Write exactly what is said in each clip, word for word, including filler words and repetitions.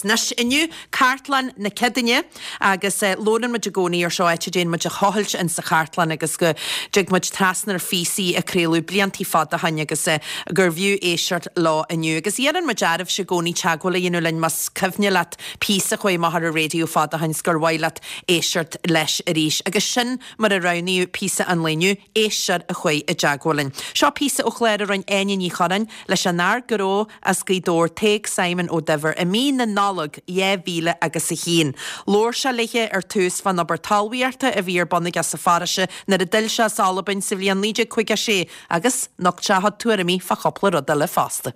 Anois inniu cartlann na Ceadaoine agus eh, labhrann muid i gcónaí ar seo áit a dtéann muid a thochailt in sa chartlann agus go dtig muid trasna ar phíosaí a craoladh blianta fada ó shin agus eh, gur bhfiú éisteacht leo inniu. Agus iarrann muid oraibhse i gcónaí teagmháil a dhéanamh linn más cuimhin leat píosa a chuaigh amach ar an raidió fada ó shin gur mhaith leat éisteacht leis arís. Agus sin mar a roghnaíodh píosa an lae inniu éisteoir a chuaigh i dteagmháil linn. Seo píosa ó chlár a rinne Áine Ní Churráin leis an fhear gnó as Gaoth Dobhair Tadhg Simon Ó Duibhir i mí na Nollag dhá mhíle agus a haon. Labhair sé léi ar tús fán obair talmhaíochta a bhí ar bun aige sa pharóiste nuair a d'fhill sé as Albain sa bhliain naoi déag caoga sé agus nocht sé a tuairimí fá chúpla rud eile fosta.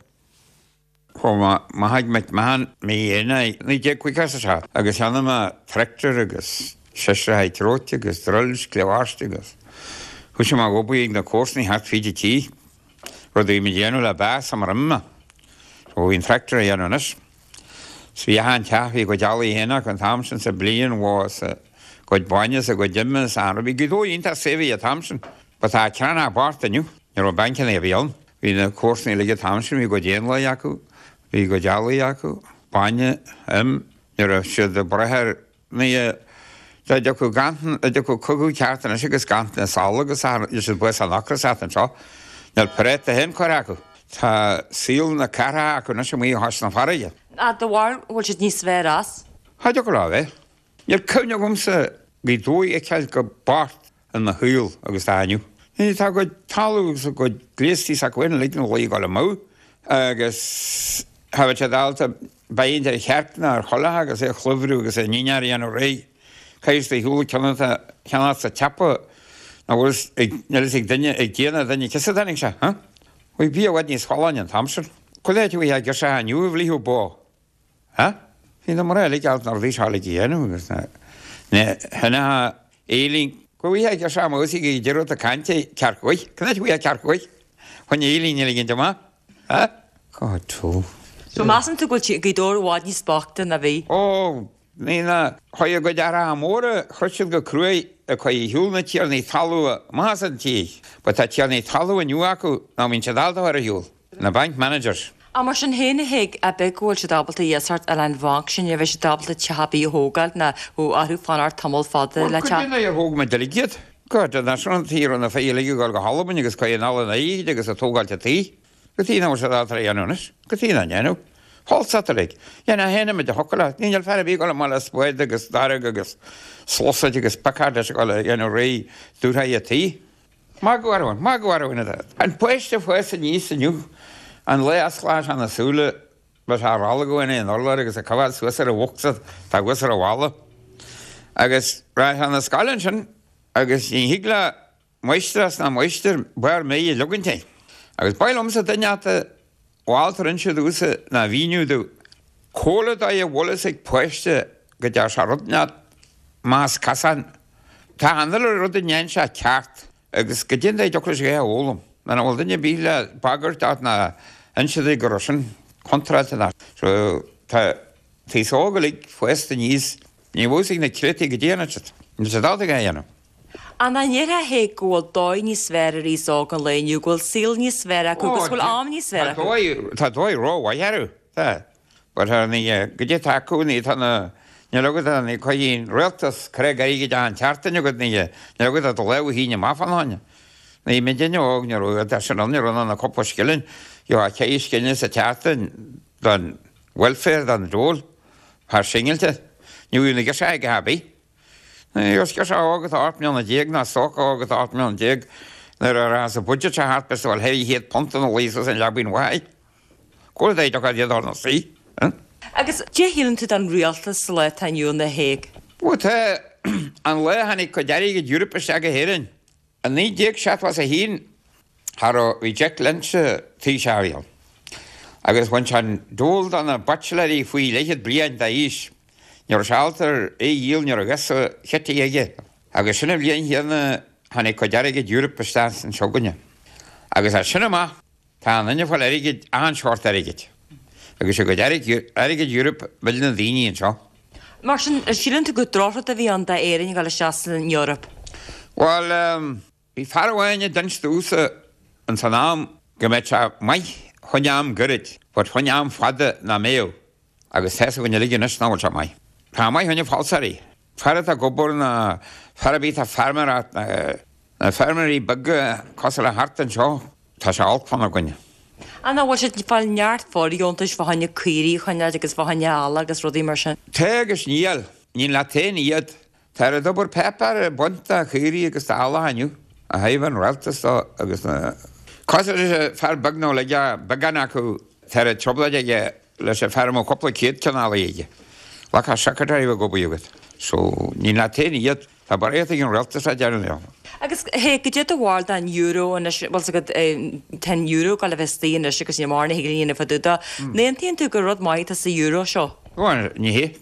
Chuaigh mé McMahon mí Eanáir naoi déag caoga a seacht agus cheannaigh mé tractor agus seisear tróite agus drills cleást agus Chu sé mar obair ag na comharsana thart fríd an tí, rud a bhí mé déanamh le bás am roimhe. So bhí an tractor a dhéanamh anois. So bhí an teach bhí go dealaí héach an t-am sin sa bliain bhá sa gcuid bainne sa gcuid ime sa bhí go dó iontach saibhir an t-am sin. Ba tá ceanna bocht inniu, ní raibh bancanna a bhí ann. Bhí na comharsana uilig an t-am sin bhí go éanlaith acu, bhí go dealaí acu, bainne im, ní raibh siad ag brath ar ní Dá dtiocfadh gan dá dtiocfadh cogadh ceart anois agus ganntanas sála agus siad buas an ocras anseo, Níl práta féin curtha acu. Tá saol na cathrach acu anois amuigh thar na farraige. A do bharúil bhfuil siad níos fearr as? Cha dtiocfadh leo a bheith. Níl cuimhne agamsa Gaoth Dobhair a fheiceáil chomh bocht i mo shaol agus tá inniu. Ní tá go talamh agus go gléastaí sa cuin lig na laoi go amú agus ha sé dálta baint ar cheart ná ar chola agus é chlúmhrú agus é níar dhéanamh réidh. Caiis de shiúl ceannata ceannat sa teapa na bhfuil níl ag duine ag déanamh duine cisa tháinig sé, ha? Bhí bia i bhfad níos folláine an t-am sin. Chuile áit a bhí girseach inniu a bhlíthú bó. Ha? Bhí na mná uilig alt na rudaí seo uilig a dhéanamh agus na na hinatha éilín go bhí girseach amach ag deireadh cainte ceart go Can áit bhí ceart go Chun éilín uilig an amach? Ha? God tú. So measann tú go bhfuil Gaoth Dobhair i bhfad níos boichte ná bhí? Ó, ní na chuir go deara móra chroith siad go cruaidh a chuir shiúl na tiarnaí talún amach as an tír. Ba tá tiarnaí talún inniu acu ná bhíonn siad ábalta ar a shiúl. Na bank managers. A mar sin féin a Thaidhg a bheith go bhfuil siad ábalta iasacht a fháil ón bhanc sin a bheith siad ábalta teach ar bith a thógáil ná ó orthu fanacht tamall fada le teach. Cuid a thóg muid uilig iad. God, na sin tír na féile go go hAlbain agus chuir an an éid agus a tógáilte tí. Go tí ná sé á dhéanamh go tí na dhéanamh. Hallsatalig. Dhéana héana de hocaile, níl fear bí go mar spéid agus darag agus slosaid agus pacád leis go dhéanamh réidh dútha tí. Má go má go An páiste fós aníos inniu an le asclá an na súile ba sé rála go in an orlár agus a cabáil suas ar a bhocsa tá gus ar a bhalla. Agus ra an na scoil sin agus ní thig le máistreás ná máistir barr méid a leagant é. Agus ba liomsa duine ata bháltar inse dúsa ná mhíniú dú. Cóla dá a bhfuil ag páiste go dear sé rud neat más casan. Tá an rud a ndéan sé ceart agus go dtí deocair sé a fhoghlaim. Na bhfuil duine bí le bagairt ná inse go raibh sin contráilte ná. So tá taos óg uilig fásta aníos ní bhfuil na criotaí go déanamh siad. Níl sé dálta go dhéanamh. An an ndéarfá Thaidhg go bhfuil dóigh níos fearr ar aos óg an lae inniu, go bhfuil saol níos fearr acu agus go bhfuil am níos fearr acu. Tá dóigh rómhaith orthu. Tá. But tá ní go dtí tá acu ní tá na níl agat ní chuidíonn rialtas creag airgid an tseachtain agat ní níl agat do léamh híne amach fan tháine. Ní mé duine óg ní raibh tá sin ann ní raibh na cúpla scilling jo a ceithre scilling sa tseachtain don welfare don dole thar singilte. Ní bhfuil na girseacha ag happy. Ní girseach óg atá ocht mbliana déag ná stócach óg atá ocht mbliana déag nuair a ra sa budget se thart bes bhfuil ceithre chéad punt na luí an leabainn mhaith. Cóir é do iad ar na sí. Agus cé shíleann tú den rialtas sa lá atá inniu a Thaidhg? Bhuel tá an lá a tháinig cuid airgid Europe isteach go hÉirinn. An naoi déag seachtó a haon thar bhí Jack Lynch Taoiseach ann. Agus bhain sé an dole do na baitsiléirí faoi leathchéad bliain d'aois. Ní raibh sé ábalta é a dhíol ní raibh sa chití aige. Agus sin an bhliain chéanna tháinig cuid airgid Europe isteach anseo againne. Agus as sin amach tá an duine fáil airgid an seort airgid. Agus sé cuid airgid Europe mhill na daoine anseo. Mar sin síleann tú gur drochrud a bhí ann d'Éirinn a ghabháil isteach san Eoraip? Bhuel bhí fear amháin a d'inis domhsa an san am go mbeadh sé maith chun am gairid, but chun am fada ná mbeadh. Agus tá's againn uilig anois nach bhfuil sé maith. Tá maith fá choinne falsairí. Fear atá ag obair ná fear ar bith atá ag feirmeoireacht, na feirmeoirí beaga cosúil le thart anseo, tá sé olc fána gcoinne. Ach nach bhfuil siad ag fáil neart fóirdheontais fá choinne caoirigh a choinneáil agus fá choinne eallaigh agus rudaí mar sin? Tá agus níl. Níl leat féin iad. Tá ar d'obair páipéar ag baint de chaoirigh agus d'eallach inniu, a thaobh an rialtas dó agus na. Cosúil leis an fear beag nó le beagán acu, tá ar trioblóid aige leis an fear a mbeadh cúpla céad ceann eallaigh aige. Like a secretary a bheith ag obair agat. So, níl leat féin iad. Tá barraíocht ag an rialtas a deireann leo. Agus hé, goidé do bharúil den euro anois, bhfuil 's agat, tá an euro ag gabháil a bheith istigh anois agus níl mórán a thig linn a dhéanamh fá dtaobh de. An aontaíonn tú gur rud maith atá sa euro seo? Bhuel, ní hé.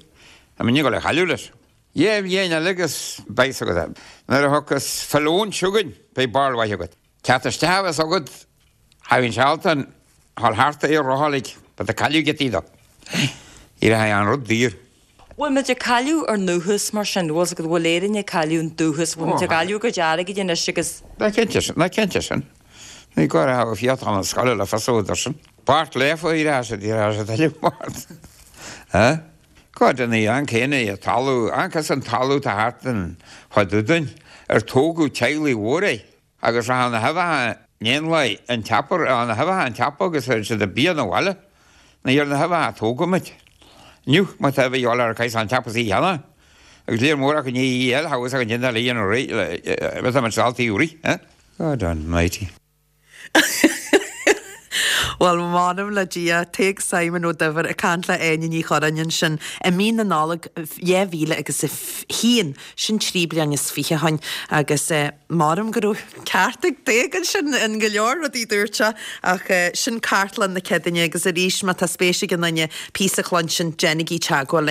Tá muidne ag gabháil a chailleadh leis. Dhá bhliain eile agus beidh 's agat. Nuair a thiocfas filiún chugainn, beidh barúil mhaith agat. Teacht isteach a bheas agat, cha bhíonn sé ábalta a dhul thart é a rotháil, but ag cailleadh giotaí dó. Éireoidh an rud daor. Bhfuil muid ag cailleadh ár ndúchas mar sin? Bhfuil 's agat, bhfuil Éirinn ag cailleadh an dúchas? Bhfuil muid ag cailleadh ár gcuid airgid anois agus. Ná cinnte sin, ná cinnte sin. Ní gá a bheith fiachán na scoile le fios údar sin. Bart lefa ar ais, ar ais a tuilleadh Bart. Go deimhin, an céanna é an talamh, an an talamh atá thart in fá dtaobh dúinn, ar tógadh teaghlaigh mhóra é, agus rachadh na huibheacha in éanlaith an tseapar, na huibheacha an tseapa agus chuir siad an bia 'na bhaile, ní ar na huibheacha a tógadh muid. Inniu, má tá uibhe a dhíobháil ar caighdeán an tseapa is í cheana, agus léir mór acu ní í eile, thá fhios againn déanta le dhéanamh réidh, le, bheith muid dáltaí úraí, eh? God almighty. Bhuel, m'anam le Dia, Tadhg Simon Ó Duibhir ag caint le Áine Ní Churráin ansin i mí na Nollag dhá mhíle agus a haon, sin trí bliana is fiche ó shin, agus m'anam go raibh ceart ag Tadhg ansin in go leor rudaí a dúirt sé, ach sin Cartlann na Cedaine agus arís má tá spéis ag aon duine píosa a chluinstin, déanaigí teagmháil linn.